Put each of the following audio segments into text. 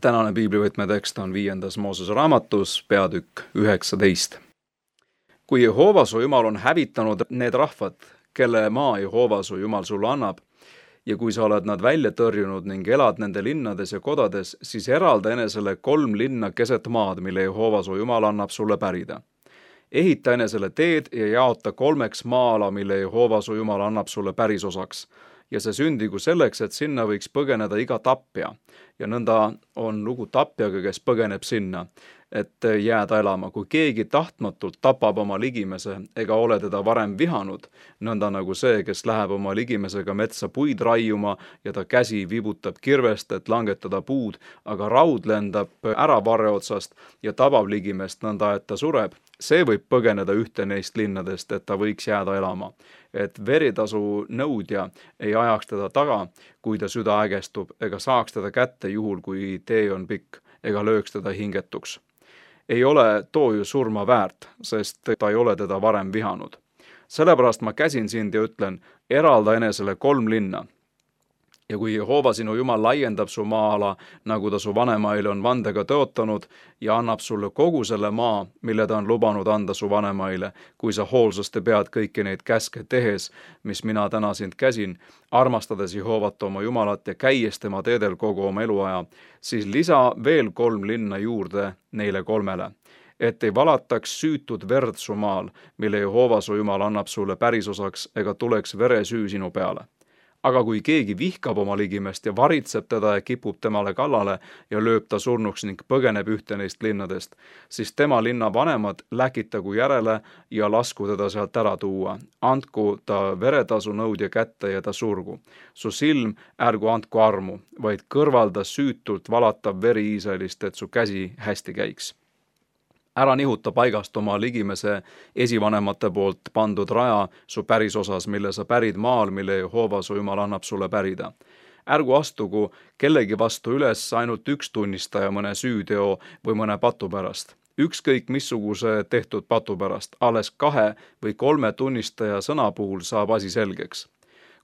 Tänane piiblivõtmetekst on 5. Moosese raamatus, peatükk 19. Kui Jehova su Jumal on hävitanud need rahvad, kelle maa Jehova su Jumal sulle annab, ja kui sa oled nad välja tõrjunud ning elad nende linnades ja kodades, siis eralda enesele 3 linna keset maad, mille Jehova su Jumal annab sulle pärida. Ehita enesele teed ja jaota 3 maa-ala, mille Jehova su Jumal annab sulle pärisosaks. Ja see sündigu selleks, et sinna võiks põgeneda iga tapja. Ja nõnda on lugu tapjaga, kes põgeneb sinna, et jääda elama. Kui keegi tahtmatult tapab oma ligimese ega ole teda varem vihanud, nõnda nagu see, kes läheb oma ligimesega metsa puid raiuma ja ta käsi vibutab kirvest, et langetada puud, aga raud lendab ära varre otsast ja tabab ligimest nõnda, et ta sureb. See võib põgeneda ühte neist linnadest, et ta võiks jääda elama. Et veritasu nõudja ei ajaks teda taga, kui ta süda ägestub, ega saaks teda kätte juhul, kui tee on pikk, ega lööks teda hingetuks. Ei ole too ju surma väärt, sest ta ei ole teda varem vihanud. Sellepärast ma käsin sind ja ütlen, eralda enesele 3 linna. Ja kui Jehova sinu Jumal laiendab su maa-ala, nagu ta su vanemaile on vandega tõotanud, ja annab sulle kogu selle maa, mille ta on lubanud anda su vanemaile, kui sa hoolsasti pead kõiki neid käske tehes, mis mina täna sind käsin, armastades Jehovat oma Jumalat ja käies tema teedel kogu oma eluaja, siis lisa veel 3 linna juurde neile 3, et ei valataks süütud verd su maal, mille Jehova su Jumal annab sulle pärisosaks, ega tuleks veresüü sinu peale. Aga kui keegi vihkab oma ligimest ja varitseb teda ja kipub temale kallale ja lööb ta surnuks ning põgeneb ühte neist linnadest, siis tema linna vanemad läkitagu järele ja lasku teda sealt ära tuua. Andku ta veretasu nõudja kätte ja ta surgu. Su silm ärgu andku armu, vaid kõrvalda süütult valatav veri Iisraelist, et su käsi hästi käiks. Ära nihuta paigast oma ligimese esivanemate poolt pandud raja su pärisosas, mille sa pärid maal, mille Jehova su Jumal annab sulle pärida. Ärgu astugu kellegi vastu üles ainult 1 tunnistaja mõne süüteo või mõne patu pärast. Ükskõik missuguse tehtud patu pärast, alles 2 või 3 tunnistaja sõna puhul saab asi selgeks.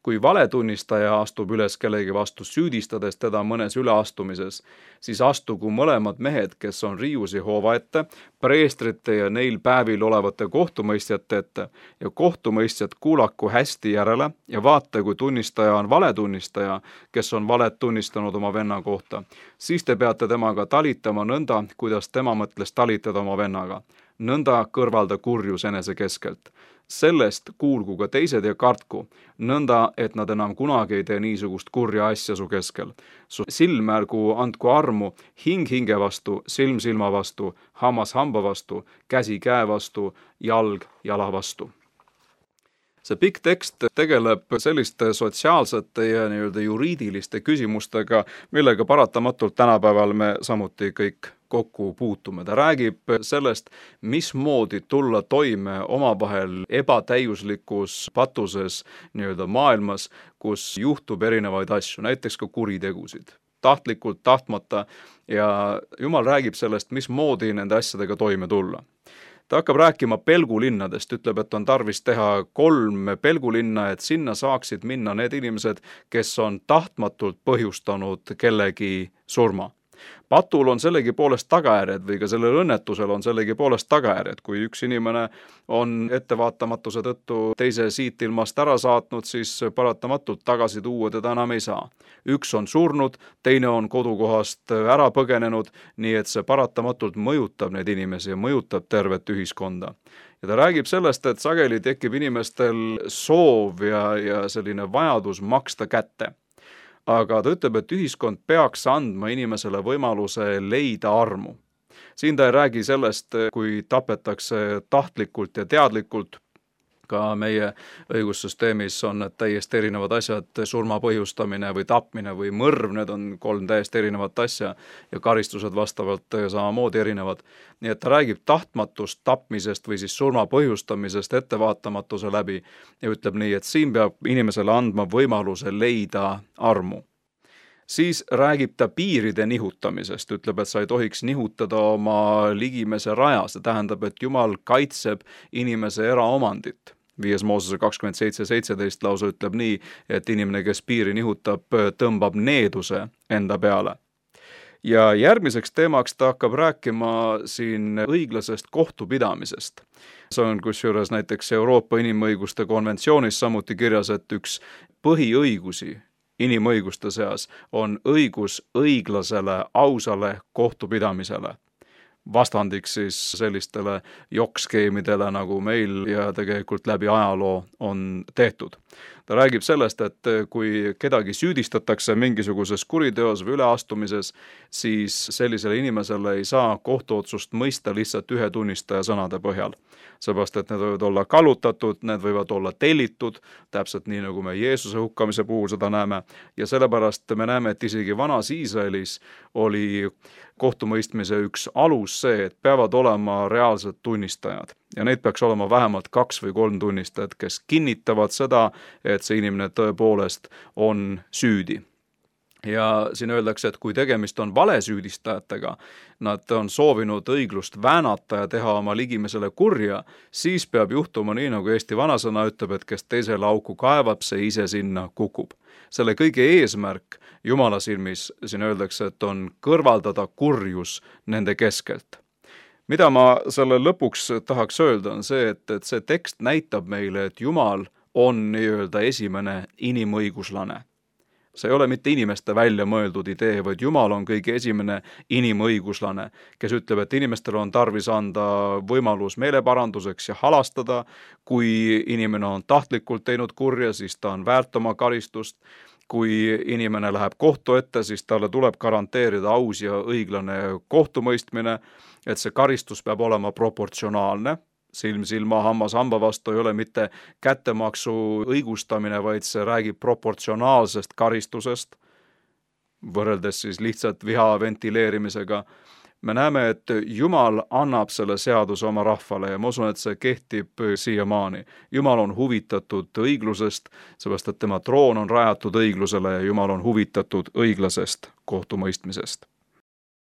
Kui valetunnistaja astub üles kellegi vastu süüdistades teda mõnes üleastumises, siis astugu mõlemad mehed, kes on riius Jehova ette, preestrite ja neil päevil olevate kohtumõistjate ette ja kohtumõistjad kuulaku hästi järele ja vaata, kui tunnistaja on valetunnistaja, kes on valet tunnistanud oma venna kohta, siis te peate temaga talitama nõnda, kuidas tema mõtles talitada oma vennaga. Nõnda kõrvalda kurjus enese keskelt. Sellest kuulgu ka teised ja kartku, nõnda, et nad enam kunagi ei tee niisugust kurja asja su keskel. Su silm ärgu andku armu, hing hinge vastu, silm silma vastu, hammas hamba vastu, käsi käe vastu, jalg jala vastu. See pikk tekst tegeleb selliste sotsiaalsete ja juriidiliste küsimustega, millega paratamatult tänapäeval me samuti kõik kokku puutume. Ta räägib sellest, mismoodi tulla toime omavahel ebatäiuslikus patuses maailmas, kus juhtub erinevaid asju, näiteks ka kuritegusid. Tahtlikult, tahtmata ja Jumal räägib sellest, mismoodi nende asjadega toime tulla. Ta hakkab rääkima pelgulinnadest, ütleb, et on tarvis teha 3 pelgulinna, et sinna saaksid minna need inimesed, kes on tahtmatult põhjustanud kellegi surma. Patul on sellegi poolest tagajärjed või ka sellel õnnetusel on sellegi poolest tagajärjed. Kui üks inimene on ettevaatamatuse tõttu teise siit ilmast ära saatnud, siis paratamatult tagasi tuua teda enam ei saa. Üks on surnud, teine on kodukohast ära põgenenud, nii et see paratamatult mõjutab neid inimesi ja mõjutab tervet ühiskonda. Ja ta räägib sellest, et sageli tekib inimestel soov ja selline vajadus maksta kätte. Aga ta ütleb, et ühiskond peaks andma inimesele võimaluse leida armu. Siin ta ei räägi sellest, kui tapetakse tahtlikult ja teadlikult. Ka meie õigussüsteemis on need täiesti erinevad asjad, surma põhjustamine või tapmine või mõrv, need on 3 täiesti erinevat asja ja karistused vastavalt samamoodi erinevad. Nii et ta räägib tahtmatust tapmisest või siis surma põhjustamisest ettevaatamatuse läbi ja ütleb nii, et siin peab inimesele andma võimaluse leida armu. Siis räägib ta piiride nihutamisest, ütleb, et sa ei tohiks nihutada oma ligimese raja, see tähendab, et Jumal kaitseb inimese eraomandit. 5. Moosese 27:17 lausa ütleb nii, et inimene, kes piiri nihutab, tõmbab needuse enda peale. Ja järgmiseks teemaks ta hakkab rääkima siin õiglasest kohtupidamisest. See on kusjuures näiteks Euroopa Inimõiguste konventsioonis samuti kirjas, et üks põhiõigusi inimõiguste seas on õigus õiglasele, ausale kohtupidamisele. Vastandiks siis sellistele jokkskeemidele, nagu meil ja tegelikult läbi ajaloo on tehtud. Ta räägib sellest, et kui kedagi süüdistatakse mingisuguses kuriteos või üleastumises, siis sellisele inimesele ei saa kohtuotsust mõista lihtsalt ühe tunnistaja sõnade põhjal. Seepärast, et need võivad olla kallutatud, need võivad olla tellitud, täpselt nii, nagu me Jeesuse hukkamise puhul seda näeme. Ja sellepärast me näeme, et isegi vanas Iisraelis oli kohtumõistmise üks alus see, et peavad olema reaalsed tunnistajad. Ja neid peaks olema vähemalt 2 või 3 tunnistajat, kes kinnitavad seda, et see inimene tõepoolest on süüdi. Ja siin öeldakse, et kui tegemist on valesüüdistajatega, nad on soovinud õiglust väänata ja teha oma ligimesele kurja, siis peab juhtuma nii, nagu Eesti vanasõna ütleb, et kes teisele auku kaevab, see ise sinna kukub. Selle kõige eesmärk Jumala silmis, siin öeldakse, et on kõrvaldada kurjus nende keskelt. Mida ma selle lõpuks tahaks öelda, on see, et see tekst näitab meile, et Jumal on nii-öelda esimene inimõiguslane. See ei ole mitte inimeste välja mõeldud idee, vaid Jumal on kõige esimene inimõiguslane, kes ütleb, et inimestel on tarvis anda võimalus meeleparanduseks ja halastada. Kui inimene on tahtlikult teinud kurja, siis ta on väärt oma karistust. Kui inimene läheb kohtu ette, siis talle tuleb garanteerida aus ja õiglane kohtumõistmine, et see karistus peab olema proportsionaalne. Silm silma, hammas hamba vastu ei ole mitte kättemaksu õigustamine, vaid see räägib proportsionaalsest karistusest, võrreldes siis lihtsalt viha ventileerimisega. Me näeme, et Jumal annab selle seaduse oma rahvale ja ma usun, et see kehtib siiamaani. Jumal on huvitatud õiglusest, seepärast et tema troon on rajatud õiglusele ja Jumal on huvitatud õiglasest kohtumõistmisest.